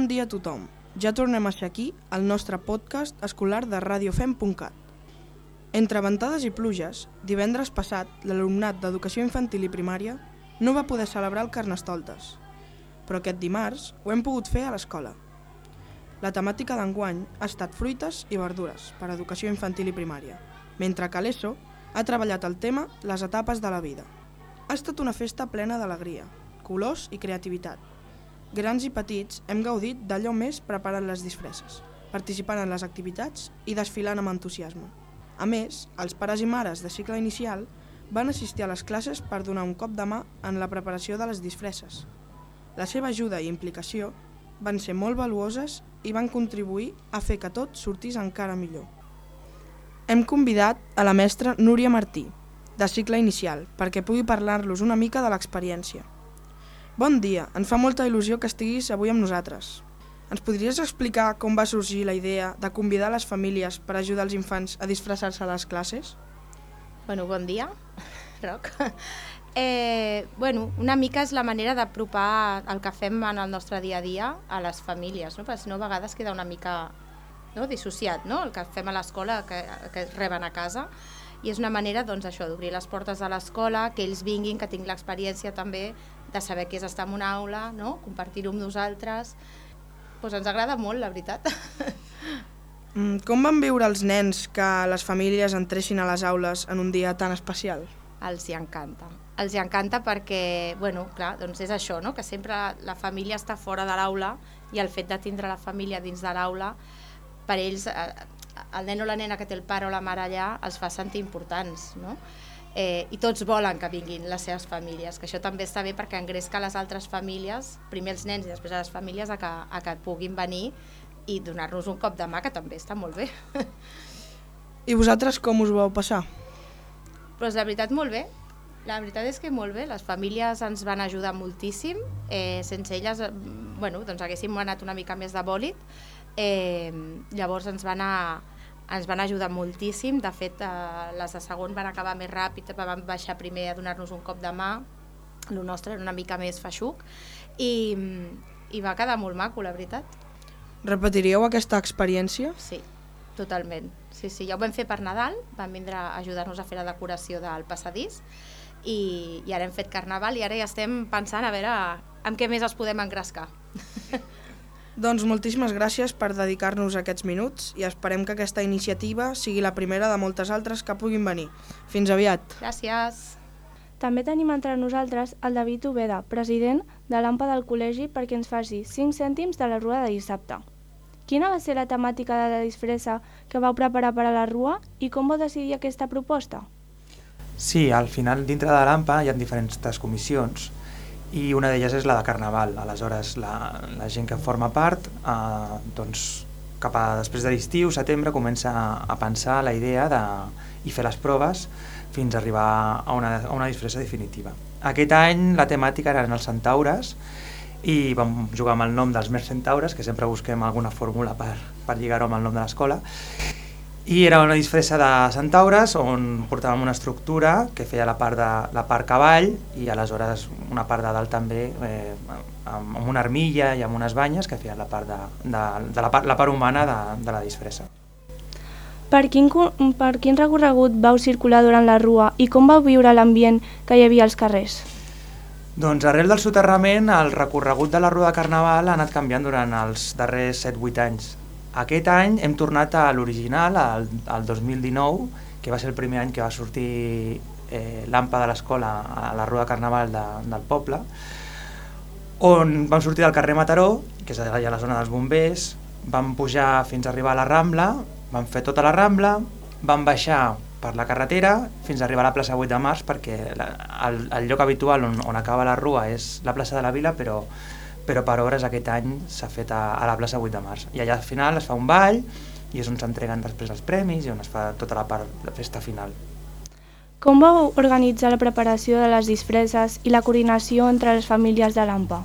dia a tothom. Ja tornem a ser aquí, al nostre podcast escolar de radiofem.cat. Entre ventades i pluges, divendres passat, l'alumnat d'Educació Infantil i Primària no va poder celebrar el Carnestoltes, però aquest dimarts ho hem pogut fer a l'escola. La temàtica d'enguany ha estat fruites i verdures per a Educació Infantil i Primària, mentre que l'ESO ha treballat el tema les etapes de la vida. Ha estat una festa plena d'alegria, colors i creativitat. Grans i petits hem gaudit d'allò més preparant les disfresses, participant en les activitats i desfilant amb entusiasme. A més, els pares i mares de cicle inicial van assistir a les classes per donar un cop de mà en la preparació de les disfresses. La seva ajuda i implicació van ser molt valuoses i van contribuir a fer que tot sortís encara millor. Hem convidat a la mestra Núria Martí, de cicle inicial, perquè pugui parlar-los una mica de l'experiència. Bon dia, ens fa molta il·lusió que estiguis avui amb nosaltres. Ens podries explicar com va sorgir la idea de convidar les famílies per ajudar els infants a disfressar-se a les classes? Bon dia, Roc. Una mica és la manera d'apropar el que fem en el nostre dia a dia a les famílies, no? Perquè si no, a vegades queda una mica dissociat, no? El que fem a l'escola, que reben a casa. I és una manera d'obrir les portes de l'escola, que ells vinguin, que tinguin l'experiència també de saber què és estar en una aula, no? Compartir-ho amb nosaltres. Ens agrada molt, la veritat. Com van viure els nens que les famílies entressin a les aules en un dia tan especial? Els hi encanta. Els hi encanta perquè, és això, no? Que sempre la família està fora de l'aula i el fet de tindre la família dins de l'aula, per ells, el nen o la nena que té el pare o la mare allà els fa sentir importants, no? I tots volen que vinguin les seves famílies, que això també està bé perquè engresca les altres famílies, primer els nens i després a les famílies, a que puguin venir i donar-nos un cop de mà, que també està molt bé. I vosaltres com us ho vau passar? Doncs la veritat molt bé, la veritat és que molt bé, les famílies ens van ajudar moltíssim, sense elles haguéssim anat una mica més de bòlit, llavors ens van ajudar moltíssim. De fet, les de segon van acabar més ràpid, van baixar primer a donar-nos un cop de mà, el nostre era una mica més feixuc i va quedar molt maco, la veritat. Repetiríeu aquesta experiència? Sí, totalment. Sí, ja ho vam fer per Nadal, van vindre a ajudar-nos a fer la decoració del passadís i ara hem fet Carnaval i ara ja estem pensant a veure amb què més els podem engrescar. Doncs moltíssimes gràcies per dedicar-nos aquests minuts i esperem que aquesta iniciativa sigui la primera de moltes altres que puguin venir. Fins aviat. Gràcies. També tenim entre nosaltres el David Ubeda, president de l'AMPA del col·legi, perquè ens faci 5 cèntims de la rua de dissabte. Quina va ser la temàtica de la disfressa que vau preparar per a la rua i com vau decidir aquesta proposta? Sí, al final dintre de l'AMPA hi ha diferents comissions i una d'elles és la de Carnaval. Aleshores, la gent que forma part, després de l'estiu, setembre, comença a pensar la idea i fer les proves fins a arribar a una disfressa definitiva. Aquest any la temàtica eren els centaures i vam jugar amb el nom dels Mers Centaures, que sempre busquem alguna fórmula per lligar-ho amb el nom de l'escola. I era una disfressa de centaures on portàvem una estructura que feia la part cavall i aleshores una part de dalt també amb una armilla i amb unes banyes que feien la part humana de la disfressa. Per quin recorregut vau circular durant la rua i com vau viure l'ambient que hi havia als carrers? Doncs arrel del soterrament el recorregut de la rua de Carnaval ha anat canviant durant els darrers 7-8 anys. Aquest any hem tornat a l'original, al 2019, que va ser el primer any que va sortir l'AMPA de l'escola a la rua de Carnaval del poble, on vam sortir del carrer Mataró, que és allà a la zona dels bombers, vam pujar fins a arribar a la Rambla, vam fer tota la Rambla, vam baixar per la carretera fins a arribar a la plaça 8 de Març, perquè el lloc habitual on acaba la rua és la plaça de la Vila, però per obres aquest any s'ha fet a la plaça 8 de Març. I allà al final es fa un ball i és on s'entreguen després els premis i on es fa tota la part de festa final. Com vau organitzar la preparació de les disfresses i la coordinació entre les famílies de l'AMPA?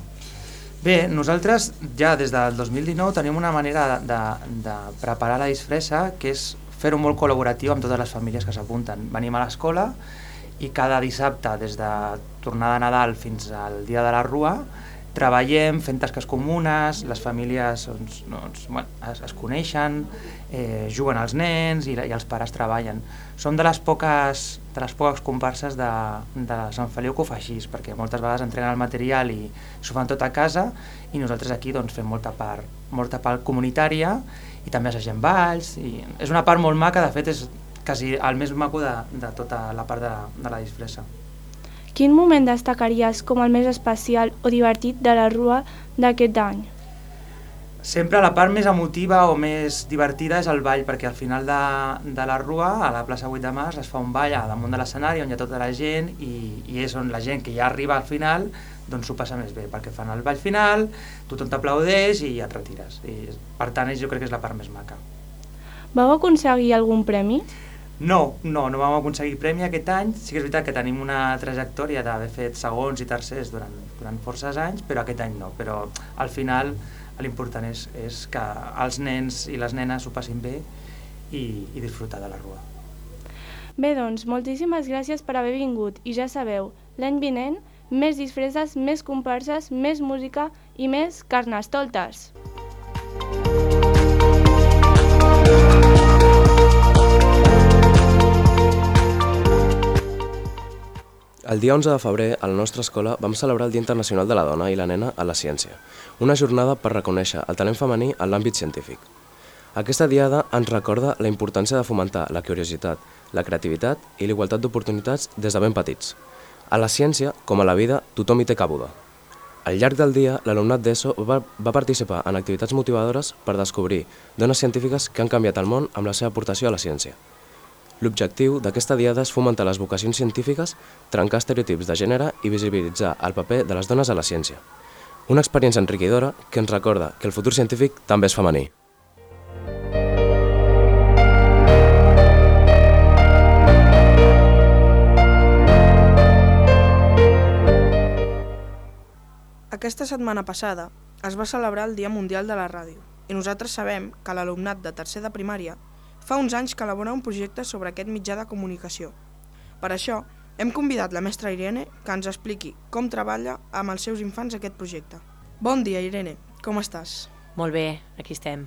Bé, nosaltres ja des del 2019 tenim una manera de preparar la disfressa que és fer-ho molt col·laboratiu amb totes les famílies que s'apunten. Venim a l'escola i cada dissabte, des de tornada de Nadal fins al dia de la rua, treballem fent tasques comunes, les famílies es coneixen, juguen els nens i els pares treballen. Som de les poques comparses de Sant Feliu que ho fa així, perquè moltes vegades entreguen el material i s'ho fan tot a casa, i nosaltres aquí fem molta part comunitària i també assagem balls. És una part molt maca, de fet és quasi el més maco de tota la part de la disfressa. Quin moment destacaries com el més especial o divertit de la Rua d'aquest any? Sempre la part més emotiva o més divertida és el ball, perquè al final de la Rua, a la plaça 8 de març, es fa un ball damunt de l'escenari on hi ha tota la gent i és on la gent que ja arriba al final doncs s'ho passa més bé, perquè fan el ball final, tothom t'aplaudeix i et retires. Per tant, jo crec que és la part més maca. Vau aconseguir algun premi? No vam aconseguir premi aquest any. Sí que és veritat que tenim una trajectòria d'haver fet segons i tercers durant forces anys, però aquest any no. Però al final l'important és que els nens i les nenes s'ho passin bé i disfrutar de la Rua. Bé, doncs, moltíssimes gràcies per haver vingut i ja sabeu, l'any vinent, més disfresses, més comparses, més música i més carnestoltes. El dia 11 de febrer, a la nostra escola, vam celebrar el Dia Internacional de la Dona i la Nena a la Ciència, una jornada per reconèixer el talent femení en l'àmbit científic. Aquesta diada ens recorda la importància de fomentar la curiositat, la creativitat i la igualtat d'oportunitats des de ben petits. A la ciència, com a la vida, tothom hi té cabuda. Al llarg del dia, l'alumnat d'ESO va participar en activitats motivadores per descobrir dones científiques que han canviat el món amb la seva aportació a la ciència. L'objectiu d'aquesta diada és fomentar les vocacions científiques, trencar estereotips de gènere i visibilitzar el paper de les dones a la ciència. Una experiència enriquidora que ens recorda que el futur científic també és femení. Aquesta setmana passada es va celebrar el Dia Mundial de la Ràdio i nosaltres sabem que l'alumnat de tercer de primària fa uns anys que elabora un projecte sobre aquest mitjà de comunicació. Per això, hem convidat la mestra Irene que ens expliqui com treballa amb els seus infants aquest projecte. Bon dia, Irene. Com estàs? Molt bé, aquí estem.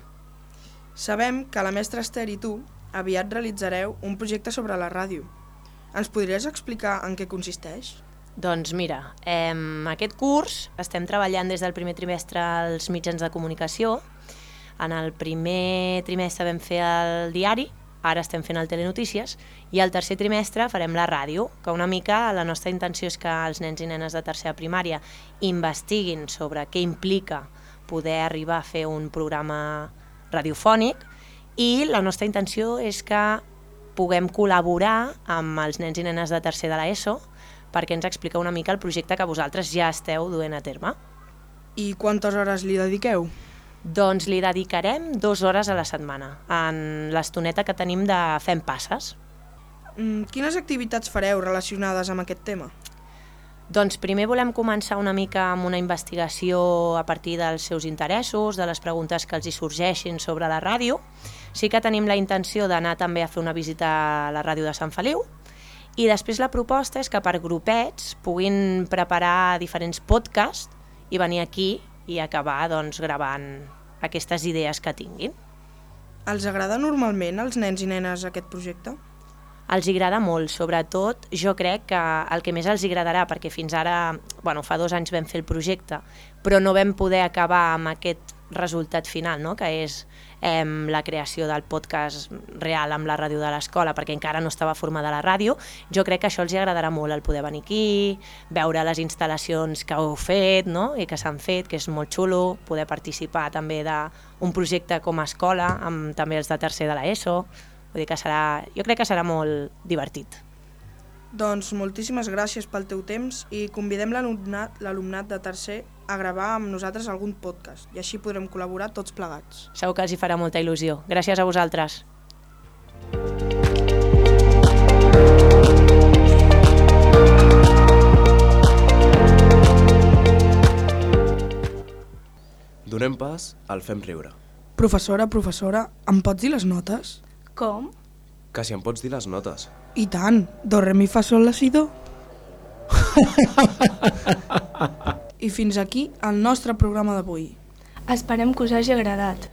Sabem que la mestra Esther i tu aviat realitzareu un projecte sobre la ràdio. Ens podries explicar en què consisteix? Doncs mira, aquest curs estem treballant des del primer trimestre als mitjans de comunicació. En el primer trimestre vam fer el diari, ara estem fent el Telenotícies, i al tercer trimestre farem la ràdio, que una mica la nostra intenció és que els nens i nenes de tercera primària investiguin sobre què implica poder arribar a fer un programa radiofònic, i la nostra intenció és que puguem col·laborar amb els nens i nenes de tercer de l'ESO perquè ens explica una mica el projecte que vosaltres ja esteu duent a terme. I quantes hores li dediqueu? Doncs li dedicarem 2 hores a la setmana, en l'estoneta que tenim de Fem Passes. Quines activitats fareu relacionades amb aquest tema? Doncs primer volem començar una mica amb una investigació a partir dels seus interessos, de les preguntes que els hi sorgeixin sobre la ràdio. Sí que tenim la intenció d'anar també a fer una visita a la ràdio de Sant Feliu, i després la proposta és que per grupets puguin preparar diferents podcasts i venir aquí i acabar gravant aquestes idees que tinguin. Els agrada normalment als nens i nenes aquest projecte? Els agrada molt, sobretot jo crec que el que més els agradarà, perquè fins ara, fa 2 anys vam fer el projecte, però no vam poder acabar amb aquest resultat final, no? Que és la creació del podcast real amb la ràdio de l'escola, perquè encara no estava formada la ràdio. Jo crec que això els agradarà molt, el poder venir aquí, veure les instal·lacions que heu fet, no? I que s'han fet, que és molt xulo, poder participar també d'un projecte com a escola, amb també els de tercer de l'ESO. Vull dir que jo crec que serà molt divertit. Doncs moltíssimes gràcies pel teu temps i convidem l'alumnat de tercer a gravar amb nosaltres algun podcast i així podrem col·laborar tots plegats. Segur que els hi farà molta il·lusió. Gràcies a vosaltres. Donem pas al Fem Riure. Professora, em pots dir les notes? Com? Que si em pots dir les notes. I tant, do, re, mi, fa, sol, la, si, do. I i fins aquí el nostre programa d'avui. Esperem que us hagi agradat.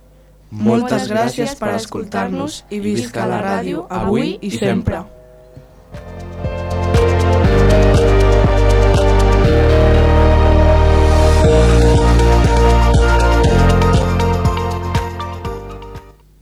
Moltes gràcies per escoltar-nos i visca la ràdio avui i sempre.